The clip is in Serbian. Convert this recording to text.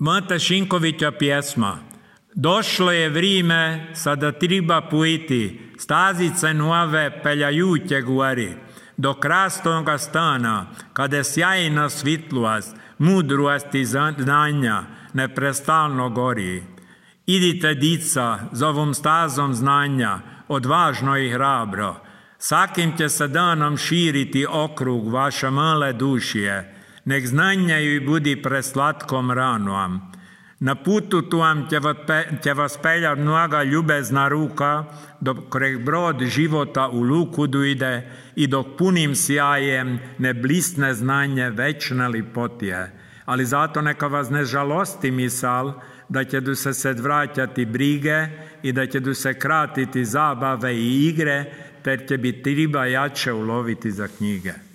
Mata Šinkovića pjesma. Došlo je vrijeme, sada treba pojiti, stazice nove peljajuće gori, do krasnoga stana, kada sjajna svitlost, mudrost i znanja neprestalno gori. Idite, dica, z ovom stazom znanja, odvažno i hrabro, svakim će se danom širiti okrug vaše male dušije, nek znanje joj budi preslatkom ranom. Na putu tu vam će vas peljat mnoga ljubezna ruka, dok brod života u luku dojde i dok punim sjajem ne blisne znanje večne lipotije. Ali zato neka vas ne žalosti misal da će se vraćati brige i da će se kratiti zabave i igre, ter će biti treba jače uloviti za knjige.